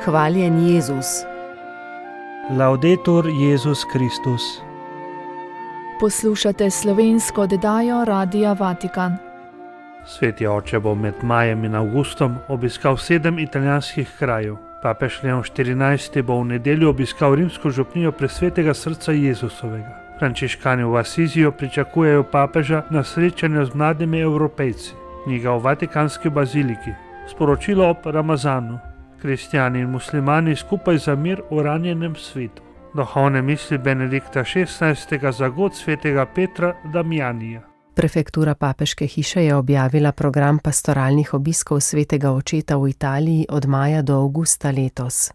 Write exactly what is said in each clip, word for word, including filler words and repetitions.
Hvaljen Jezus. Laudetur Jezus Kristus. Poslušate slovensko oddajo Radia Vatikan. Sveti oče bo med majem in avgustom obiskal sedem italijanskih krajev. Papež Leon štirinajsti bo v nedeljo obiskal rimsko župnijo Presvetega srca Jezusovega. Frančiškani v Asiziju pričakujejo papeža na srečanju z mladimi Evropejci. Knjiga v Vatikanski baziliki. Sporočilo ob Ramazanu. Kristjani in muslimani skupaj za mir v ranjenem svetu. Duhovne misli Benedikta šestnajstega za god svetega Petra Damjanija. Prefektura papeške hiše je objavila program pastoralnih obiskov svetega očeta v Italiji od maja do avgusta letos.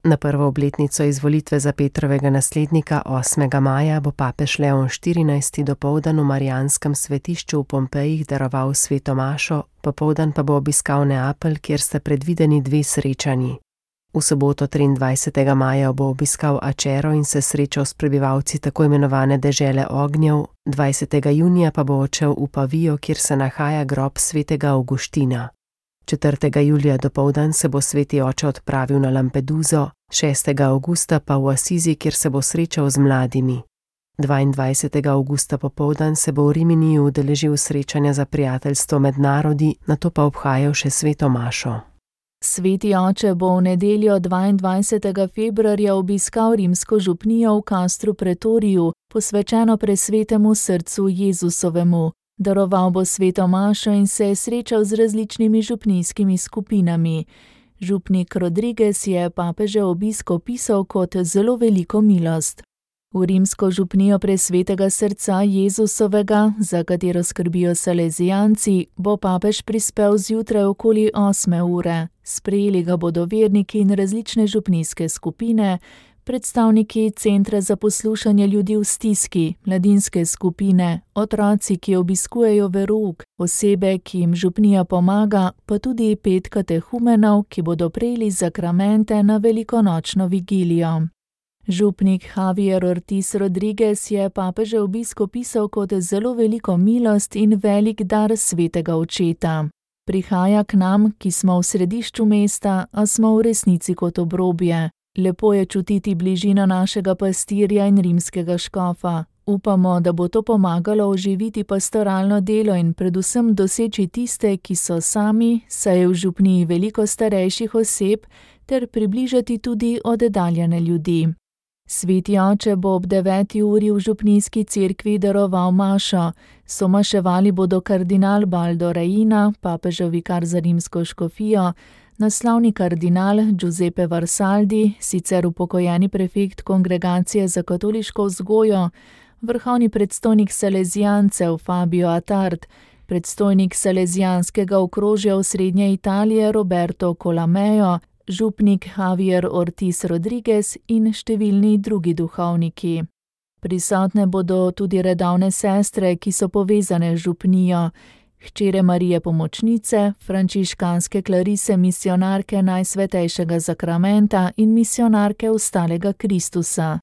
Na prvo obletnico izvolitve za Petrovega naslednika osmega maja bo papež Leon štirinajsti dopoldan v Marijanskem svetišču v Pompejih daroval sveto mašo, popoldan pa bo obiskal Neapelj, kjer sta predvideni dve srečanji. V soboto triindvajsetega maja bo obiskal Acero in se srečal s prebivalci tako imenovane dežele ognjev, dvajsetega junija pa bo odšel v Pavijo, kjer se nahaja grob svetega Avguština. četrtega julija dopoldan se bo sveti oče odpravil na Lampeduzo, šestega avgusta pa v Asizi, kjer se bo srečal z mladimi. dvaindvajsetega avgusta popoldan se bo v Riminiju udeležil srečanja za prijateljstvo med narodi, nato pa obhajal še sveto mašo. Sveti oče bo v nedeljo dvaindvajsetega februarja obiskal rimsko župnijo v Castru Pretoriju, posvečeno Presvetemu srcu Jezusovemu. Daroval bo sveto mašo in se je srečal z različnimi župnijskimi skupinami. Župnik Rodriguez je papežev obisk opisal kot zelo veliko milost. V rimsko župnijo Presvetega srca Jezusovega, za katero skrbijo salezijanci, bo papež prispel zjutraj okoli osme ure. Sprejeli ga bodo verniki in različne župnijske skupine, predstavniki Centra za poslušanje ljudi v stiski, mladinske skupine, otroci, ki obiskujejo verouk, osebe, ki jim župnija pomaga, pa tudi pet katehumenov, ki bodo prejeli zakramente na velikonočno vigilijo. Župnik Javier Ortiz Rodriguez je papežev obisk opisal kot zelo veliko milost in velik dar svetega očeta. Prihaja k nam, ki smo v središču mesta, a smo v resnici kot obrobje. Lepo je čutiti bližino našega pastirja in rimskega škofa. Upamo, da bo to pomagalo oživiti pastoralno delo in predvsem doseči tiste, ki so sami, saj je v župniji veliko starejših oseb, ter približati tudi oddaljene ljudi. Sveti oče bo ob deveti uri v župnijski cerkvi daroval mašo. Somaševali bodo kardinal Baldo Reina, papežev vikar za rimsko škofijo, naslovni kardinal Giuseppe Varsaldi, sicer upokojeni prefekt Kongregacije za katoliško vzgojo, vrhovni predstojnik salezijancev Fabio Attard, predstojnik salezijanskega okrožja v Srednje Italije Roberto Colamejo, župnik Javier Ortiz Rodriguez in številni drugi duhovniki. Prisotne bodo tudi redovne sestre, ki so povezane z župnijo, hčere Marije Pomočnice, frančiškanske klarise misionarke Najsvetejšega zakramenta in misionarke Ostalega Kristusa.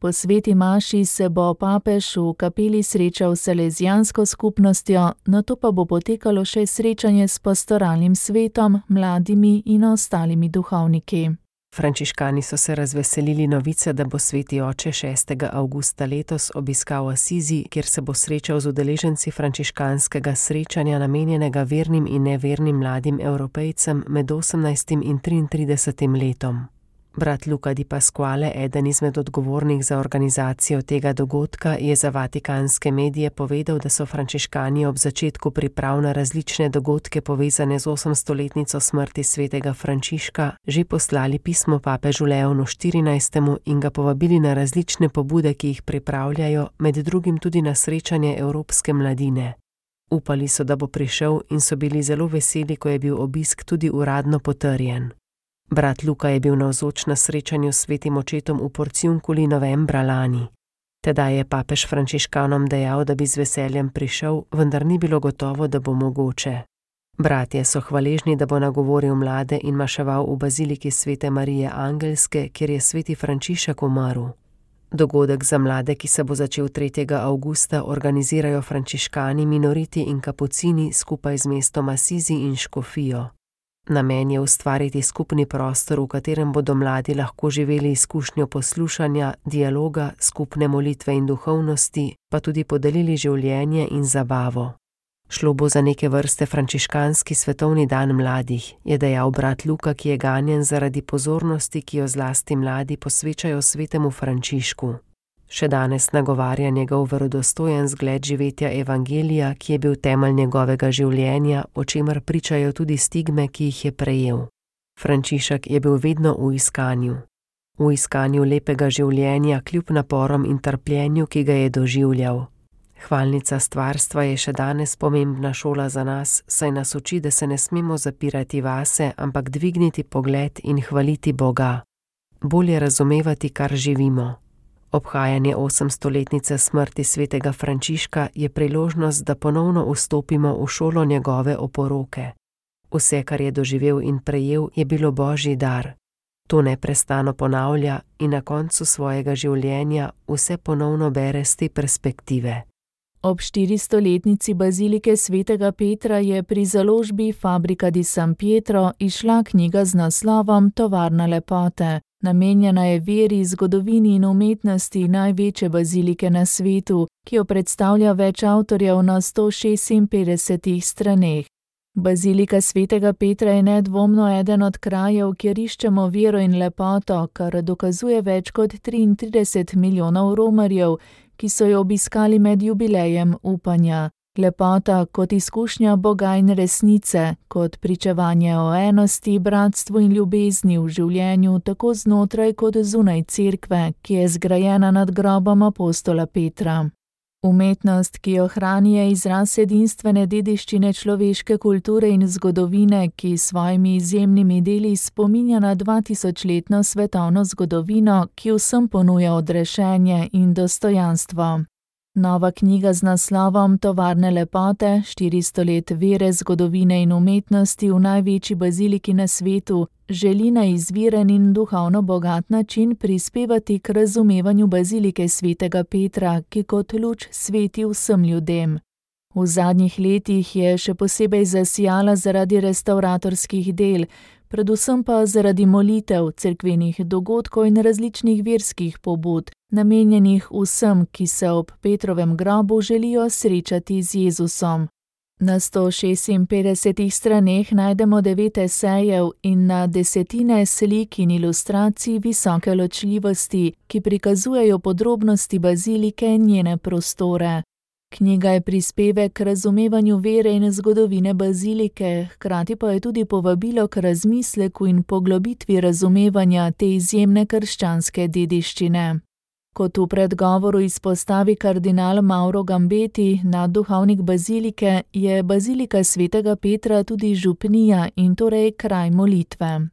Po sveti maši se bo papež v kapeli srečal s salezijansko skupnostjo, nato pa bo potekalo še srečanje s pastoralnim svetom, mladimi in ostalimi duhovniki. Frančiškani so se razveselili novice, da bo sveti oče šestega avgusta letos obiskal Asizi, kjer se bo srečal z udeleženci frančiškanskega srečanja namenjenega vernim in nevernim mladim Evropejcem med osemnajstim in triintridesetim letom. Brat Luca Di Pasquale, eden izmed odgovornih za organizacijo tega dogodka, je za vatikanske medije povedal, da so frančiškani ob začetku priprav na različne dogodke povezane z osemstoletnico smrti svetega Frančiška že poslali pismo papežu Leonu štirinajstemu in ga povabili na različne pobude, ki jih pripravljajo, med drugim tudi na srečanje evropske mladine. Upali so, da bo prišel in so bili zelo veseli, ko je bil obisk tudi uradno potrjen. Brat Luka je bil navzoč na srečanju s svetim očetom v Porciunculi novembra lani. Tedaj je papež frančiškanom dejal, da bi z veseljem prišel, vendar ni bilo gotovo, da bo mogoče. Bratje so hvaležni, da bo nagovoril mlade in maševal v baziliki svete Marije Angelske, kjer je sveti Frančišek umrl. Dogodek za mlade, ki se bo začel tretjega avgusta, organizirajo frančiškani, minoriti in kapucini skupaj z mestom Asizi in škofijo. Namen je ustvariti skupni prostor, v katerem bodo mladi lahko živeli izkušnjo poslušanja, dialoga, skupne molitve in duhovnosti, pa tudi podelili življenje in zabavo. Šlo bo za neke vrste frančiškanski svetovni dan mladih, je dejal brat Luka, ki je ganjen zaradi pozornosti, ki jo zlasti mladi posvečajo svetemu Frančišku. Še danes nagovarja njegov verodostojen zgled živetja evangelija, ki je bil temelj njegovega življenja, o čemer pričajo tudi stigme, ki jih je prejel. Frančišek je bil vedno v iskanju. V iskanju lepega življenja kljub naporom in trpljenju, ki ga je doživljal. Hvalnica stvarstva je še danes pomembna šola za nas, saj nas uči, da se ne smemo zapirati vase, ampak dvigniti pogled in hvaliti Boga. Bolje razumevati, kar živimo. Obhajanje osemstoletnice smrti svetega Frančiška je priložnost, da ponovno vstopimo v šolo njegove oporoke. Vse, kar je doživel in prejel, je bilo Božji dar. To neprestano ponavlja in na koncu svojega življenja vse ponovno bere z te perspektive. Ob štiristoletnici bazilike svetega Petra je pri založbi Fabrica di San Pietro izšla knjiga z naslovom Tovarna lepote. Namenjena je veri, zgodovini in umetnosti največje bazilike na svetu, ki jo predstavlja več avtorjev na sto šestinpetdesetih straneh. Bazilika svetega Petra je nedvomno eden od krajev, kjer iščemo vero in lepoto, kar dokazuje več kot triintrideset milijonov romarjev, ki so jo obiskali med jubilejem upanja. Lepota kot izkušnja Boga in resnice, kot pričevanje o enosti, bratstvu in ljubezni v življenju tako znotraj kot zunaj cerkve, ki je zgrajena nad grobom apostola Petra. Umetnost, ki jo hrani, je izraz edinstvene dediščine človeške kulture in zgodovine, ki s svojimi izjemnimi deli spominja na dvatisočletno svetovno zgodovino, ki vsem ponuja odrešenje in dostojanstvo. Nova knjiga z naslovom Tovarne lepote, štiristo let vere, zgodovine in umetnosti v največji baziliki na svetu, želi na izviren in duhovno bogat način prispevati k razumevanju bazilike svetega Petra, ki kot luč sveti vsem ljudem. V zadnjih letih je še posebej zasijala zaradi restavratorskih del, predvsem pa zaradi molitev, cerkvenih dogodkov in različnih verskih pobud, namenjenih vsem, ki se ob Petrovem grobu želijo srečati z Jezusom. Na sto šestinpetdesetih straneh najdemo devet esejev in na desetine slik in ilustracij visoke ločljivosti, ki prikazujejo podrobnosti bazilike in njene prostore. Knjiga je prispevek k razumevanju vere in zgodovine bazilike, hkrati pa je tudi povabilo k razmisleku in poglobitvi razumevanja te izjemne krščanske dediščine. Kot v predgovoru izpostavi kardinal Mauro Gambeti, nadduhovnik bazilike, je bazilika svetega Petra tudi župnija in torej kraj molitve.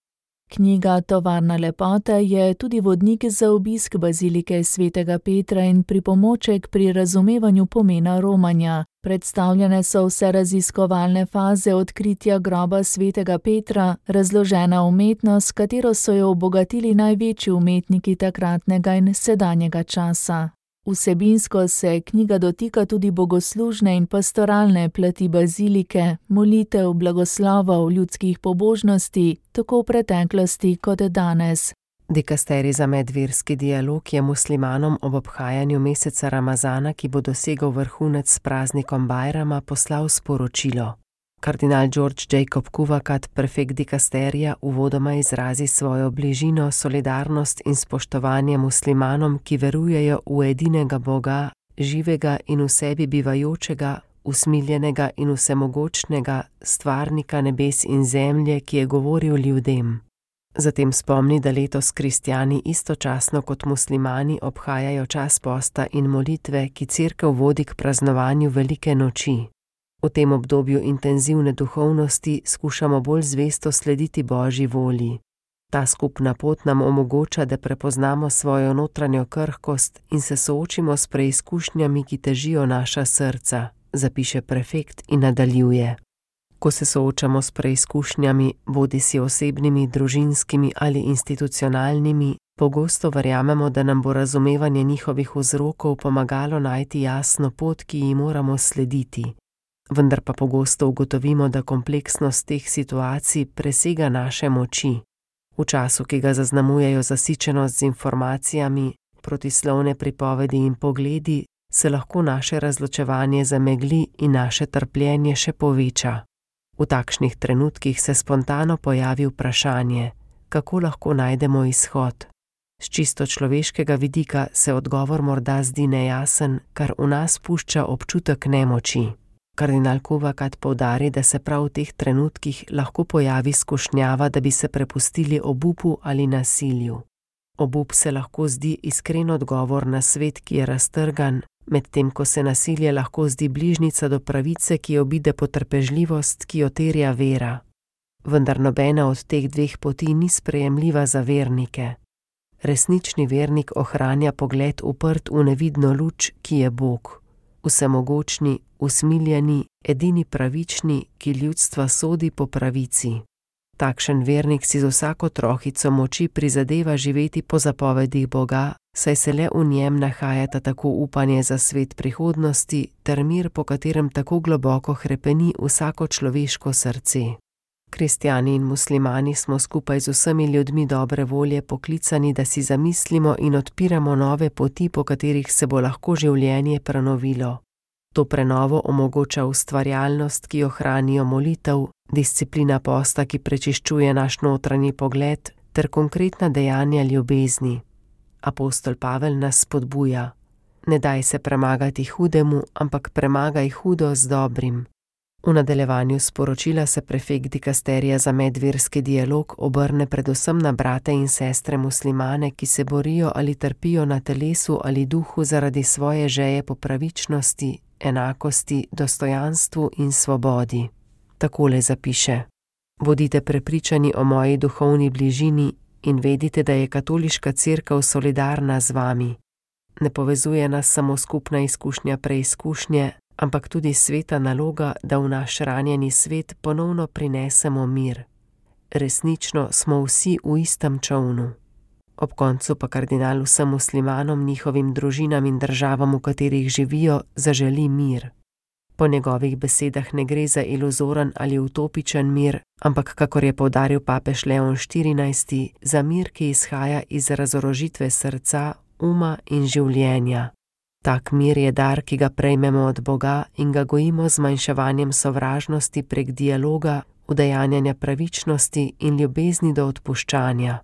Knjiga Tovarna lepote je tudi vodnik za obisk bazilike svetega Petra in pripomoček pri razumevanju pomena romanja. Predstavljene so vse raziskovalne faze odkritja groba svetega Petra, razložena umetnost, katero so jo obogatili največji umetniki takratnega in sedanjega časa. Vsebinsko se knjiga dotika tudi bogoslužne in pastoralne plati bazilike, molitev, blagoslovov, ljudskih pobožnosti, tako v preteklosti kot danes. Dikasterij za medverski dialog je muslimanom ob obhajanju meseca Ramazana, ki bo dosegel vrhunec s praznikom Bajrama, poslal sporočilo. Kardinal George Jacob Kuvakat, prefekt dikasterija, uvodoma izrazi svojo bližino, solidarnost in spoštovanje muslimanom, ki verujejo v edinega Boga, živega in v sebi bivajočega, usmiljenega in vsemogočnega, stvarnika nebes in zemlje, ki je govoril ljudem. Zatem spomni, da letos kristjani istočasno kot muslimani obhajajo čas posta in molitve, ki cerkev vodi k praznovanju velike noči. V tem obdobju intenzivne duhovnosti skušamo bolj zvesto slediti Božji volji. Ta skupna pot nam omogoča, da prepoznamo svojo notranjo krhkost in se soočimo s preizkušnjami, ki težijo naša srca, zapiše prefekt in nadaljuje. Ko se soočamo s preizkušnjami, bodisi osebnimi, družinskimi ali institucionalnimi, pogosto verjamemo, da nam bo razumevanje njihovih vzrokov pomagalo najti jasno pot, ki ji moramo slediti. vendar pa pogosto ugotovimo, da kompleksnost teh situacij presega naše moči. V času, ki ga zaznamujejo zasičenost z informacijami, protislovne pripovedi in pogledi, se lahko naše razločevanje zamegli in naše trpljenje še poveča. V takšnih trenutkih se spontano pojavi vprašanje, kako lahko najdemo izhod. S čisto človeškega vidika se odgovor morda zdi nejasen, kar v nas pušča občutek nemoči. Kardinal Kovakat poudari, da se prav v teh trenutkih lahko pojavi skušnjava, da bi se prepustili obupu ali nasilju. Obup se lahko zdi iskren odgovor na svet, ki je raztrgan, medtem ko se nasilje lahko zdi bližnica do pravice, ki obide potrpežljivost, ki jo terja vera. Vendar nobena od teh dveh poti ni sprejemljiva za vernike. Resnični vernik ohranja pogled uprt v nevidno luč, ki je Bog. Vsemogočni, usmiljeni, edini pravični, ki ljudstva sodi po pravici. Takšen vernik si z vsako trohico moči prizadeva živeti po zapovedih Boga, saj se le v njem nahajata tako upanje za svet prihodnosti ter mir, po katerem tako globoko hrepeni vsako človeško srce. Kristjani in muslimani smo skupaj z vsemi ljudmi dobre volje poklicani, da si zamislimo in odpiramo nove poti, po katerih se bo lahko življenje prenovilo. To prenovo omogoča ustvarjalnost, ki jo hranijo molitev, disciplina posta, ki prečiščuje naš notranji pogled, ter konkretna dejanja ljubezni. Apostol Pavel nas spodbuja: ne daj se premagati hudemu, ampak premagaj hudo z dobrim. V nadaljevanju sporočila se prefekt dikasterija za medverski dialog obrne predvsem na brate in sestre muslimane, ki se borijo ali trpijo na telesu ali duhu zaradi svoje žeje po pravičnosti, enakosti, dostojanstvu in svobodi. Takole zapiše: bodite prepričani o moji duhovni bližini in vedite, da je katoliška cerkev solidarna z vami. Ne povezuje nas samo skupna izkušnja preizkušnje, ampak tudi sveta naloga, da v naš ranjeni svet ponovno prinesemo mir. Resnično smo vsi v istem čolnu. Ob koncu pa kardinal vsem muslimanom, njihovim družinam in državam, v katerih živijo, zaželi mir. Po njegovih besedah ne gre za iluzoren ali utopičen mir, ampak, kakor je poudaril papež Leon štirinajsti, za mir, ki izhaja iz razorožitve srca, uma in življenja. Tak mir je dar, ki ga prejmemo od Boga in ga gojimo z zmanjševanjem sovražnosti prek dialoga, udejanjanja pravičnosti in ljubezni do odpuščanja.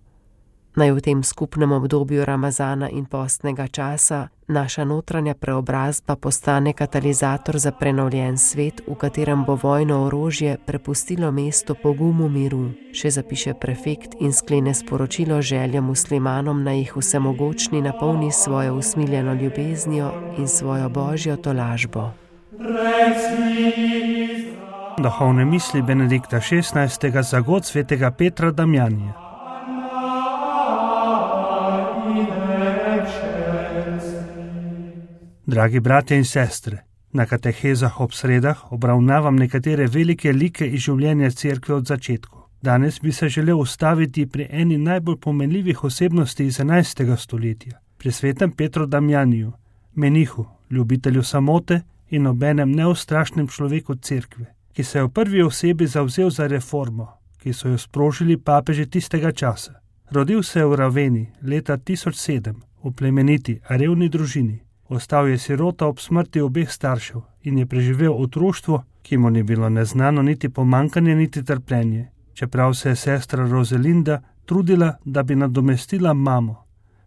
Naj v tem skupnem obdobju Ramazana in postnega časa naša notranja preobrazba postane katalizator za prenovljen svet, v katerem bo vojno orožje prepustilo mesto pogumu miru, še zapiše prefekt in sklene sporočilo željo muslimanom, naj jih vsemogočni napolni svojo usmiljeno ljubeznijo in svojo božjo tolažbo. Duhovne misli Benedikta šestnajstega za god svetega Petra Damjanija. Dragi bratje in sestre, na katehezah ob sredah obravnavam nekatere velike like iz življenja cerkve od začetku. Danes bi se želel ustaviti pri eni najbolj pomenljivih osebnosti iz enajstega stoletja, pri svetem Petru Damjaniju, menihu, ljubitelju samote in obenem neustrašnem človeku cerkve, ki se je v prvi osebi zavzel za reformo, ki so jo sprožili papeži tistega časa. Rodil se je v Raveni leta tisoč sedem v plemeniti, a revni družini. Ostal je sirota ob smrti obeh staršev in je preživel otroštvo, ki mu ni bilo neznano niti pomankanje, niti trpljenje, čeprav se je sestra Rozelinda trudila, da bi nadomestila mamo.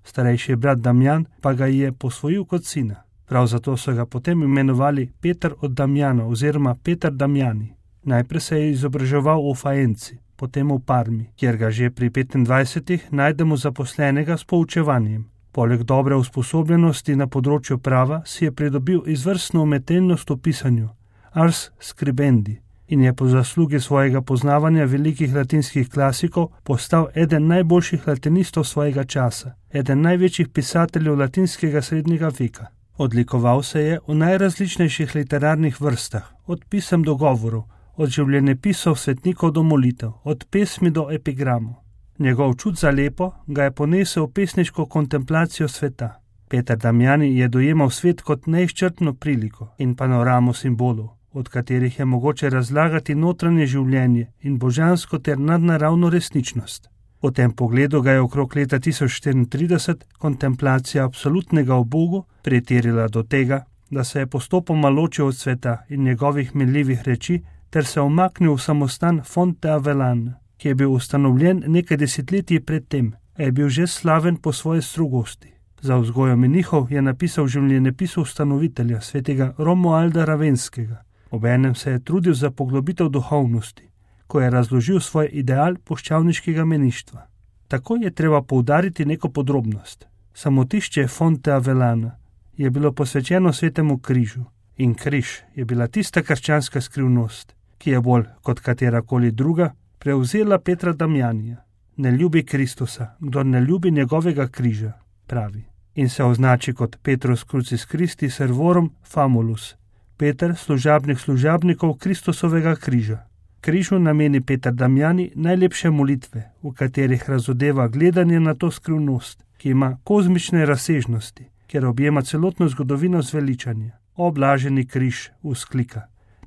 Starejši brat Damjan pa ga je posvojil kot sina. Prav zato so ga potem imenovali Peter od Damjana oziroma Peter Damjani. Najprej se je izobraževal v Faenci, potem v Parmi, kjer ga že pri petindvajsetih najdemo zaposlenega s poučevanjem. Poleg dobre usposobljenosti na področju prava si je pridobil izvrstno umetelnost v pisanju, ars scribendi, in je po zaslugi svojega poznavanja velikih latinskih klasikov postal eden najboljših latinistov svojega časa, eden največjih pisateljev latinskega srednjega veka. Odlikoval se je v najrazličnejših literarnih vrstah, od pisem do govorov, od življenjepisov svetnikov do molitev, od pesmi do epigramov. Njegov čut za lepo ga je ponesel v pesniško kontemplacijo sveta. Peter Damjani je dojemal svet kot neizčrpno priliko in panoramo simbolov, od katerih je mogoče razlagati notranje življenje in božansko ter nadnaravno resničnost. V tem pogledu ga je okrog leta tisoč štiriintrideset kontemplacija absolutnega o Bogu pretirila do tega, da se je postopoma ločil od sveta in njegovih minljivih reči ter se omaknil v samostan Fonte Avellan, ki je bil ustanovljen nekaj desetletij pred tem, a je bil že slaven po svoji strogosti. Za vzgojo menihov je napisal življenjepis ustanovitelja, svetega Romualda Ravenskega. Obenem se je trudil za poglobitev duhovnosti, ko je razložil svoj ideal puščavniškega meništva. Tako je treba poudariti neko podrobnost. Samotišče Fonte Avellana je bilo posvečeno svetemu križu in križ je bila tista krščanska skrivnost, ki je bolj kot katerakoli druga prevzela Petra Damjanija. Ne ljubi Kristusa, kdor ne ljubi njegovega križa, pravi, in se označi kot Petrus crucis Christi servorum famulus, Peter, služabnik služabnikov Kristusovega križa. Križu nameni Peter Damjani najlepše molitve, v katerih razodeva gledanje na to skrivnost, ki ima kozmične razsežnosti, ker objema celotno zgodovino zveličanja. O blaženi križ, vzklika,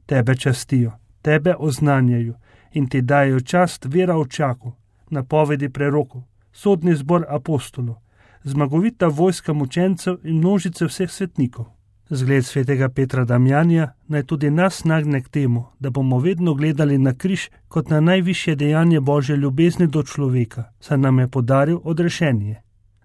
tebe častijo, tebe oznanjajo in ti dajo čast vera očakov, napovedi prerokov, sodni zbor apostolov, zmagovita vojska mučencev in množice vseh svetnikov. Zgled svetega Petra Damjanija naj tudi nas nagne k temu, da bomo vedno gledali na križ kot na najvišje dejanje Božje ljubezni do človeka, saj nam je podaril odrešenje.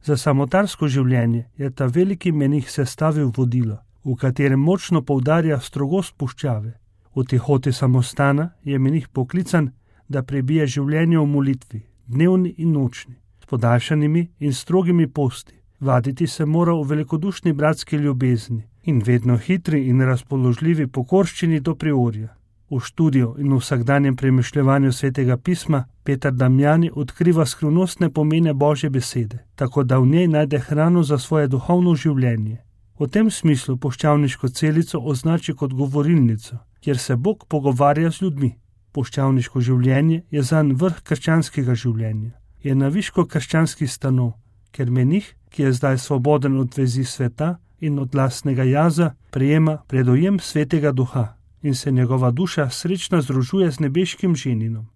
Za samotarsko življenje je ta veliki menih sestavil vodilo, v katerem močno poudarja strogost puščave. V tihoti samostana je menih poklican, da prebije življenje v molitvi, dnevni in nočni, s podaljšanimi in strogimi posti. Vaditi se mora v velikodušni bratski ljubezni in vedno hitri in razpoložljivi pokorščini do priorja. V študiju in v vsakdanjem premišljevanju svetega pisma Peter Damjani odkriva skrivnostne pomene Božje besede, tako da v njej najde hrano za svoje duhovno življenje. V tem smislu puščavniško celico označi kot govorilnico, kjer se Bog pogovarja z ljudmi. Puščavniško življenje je zanj vrh krščanskega življenja. Je naviško krščanski stanov, ker menih, ki je zdaj svoboden od vezi sveta in od lastnega jaza, prejema predojem svetega duha in se njegova duša srečno združuje z nebeškim ženinom.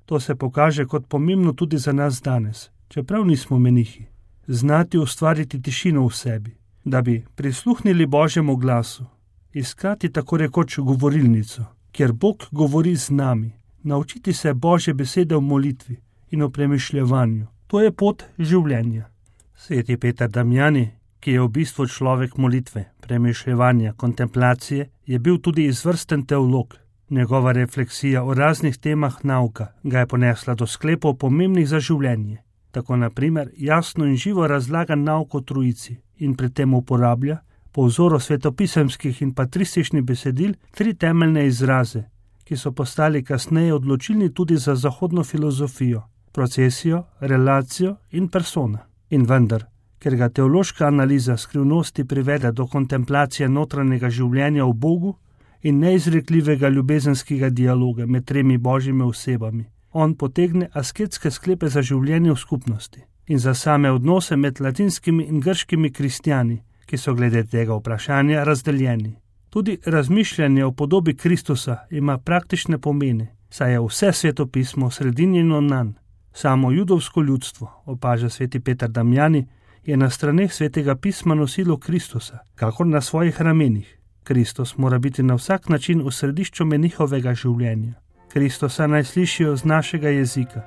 To se pokaže kot pomembno tudi za nas danes, čeprav nismo menihi. Znati ustvariti tišino v sebi, da bi prisluhnili Božjemu glasu, iskati tako rekoč govorilnico, kjer Bog govori z nami, naučiti se Božje besede v molitvi in v premišljevanju. To je pot življenja. Sveti Peter Damjani, ki je v bistvu človek molitve, premišljevanja, kontemplacije, je bil tudi izvrsten teolog. Njegova refleksija o raznih temah nauka ga je ponesla do sklepov pomembnih za življenje. Tako na primer jasno in živo razlaga nauk o Trojici in pri tem uporablja, po vzoru svetopisemskih in patrističnih besedil, tri temeljne izraze, ki so postali kasneje odločilni tudi za zahodno filozofijo: procesijo, relacijo in persona. In vendar, ker ga teološka analiza skrivnosti privede do kontemplacije notranjega življenja v Bogu in neizrekljivega ljubezenskega dialoga med tremi božjimi osebami, on potegne asketske sklepe za življenje v skupnosti in za same odnose med latinskimi in grškimi kristjani, ki so glede tega vprašanja razdeljeni. Tudi razmišljanje o podobi Kristusa ima praktične pomene, saj je vse svetopismo sredinjeno nanj. Samo judovsko ljudstvo, opaža sveti Peter Damjani, je na straneh svetega pisma nosilo Kristusa, kakor na svojih ramenih. Kristus mora biti na vsak način v središču menihovega življenja. Kristusa naj slišijo z našega jezika,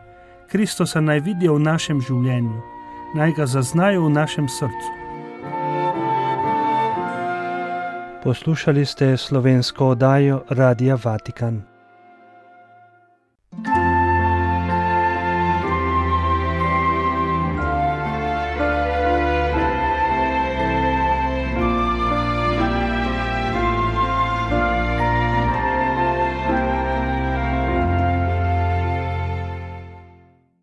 Kristusa naj vidijo v našem življenju, naj ga zaznajo v našem srcu. Poslušali ste slovensko oddajo Radia Vatikan.